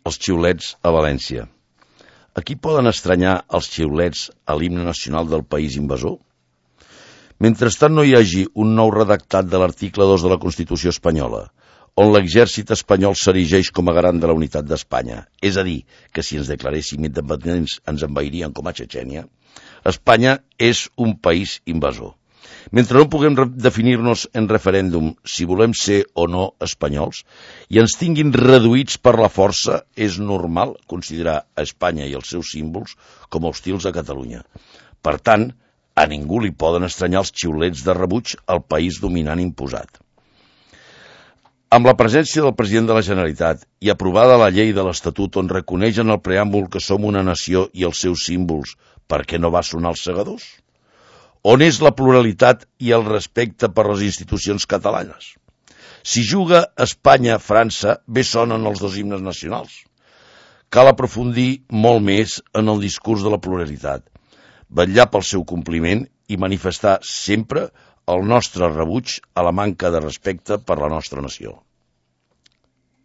els xiulets a València. A qui poden estranyar els xiulets a l'himne nacional del país invasor? Mentrestant no hi hagi un nou redactat de l'article 2 de la Constitució espanyola, on l'exèrcit espanyol s'erigeix com a garant de la unitat d'Espanya, és a dir, que si ens declaréssim independents ens envairien com a Txetxènia, Espanya és un país invasor. Mentre no puguem definir-nos en referèndum si volem ser o no espanyols i ens tinguin reduïts per la força, és normal considerar a Espanya i els seus símbols com a hostils a Catalunya. Per tant, a ningú li poden estranyar els xiulets de rebuig al país dominant imposat. Amb la presència del president de la Generalitat i aprovada la llei de l'Estatut on reconeix en el preàmbul que som una nació i els seus símbols, per què no va sonar els segadors? On és la pluralitat i el respecte per les institucions catalanes? Si juga Espanya-França, bé sonen els dos himnes nacionals. Cal aprofundir molt més en el discurs de la pluralitat, vetllar pel seu compliment i manifestar sempre el nostre rebuig a la manca de respecte per la nostra nació.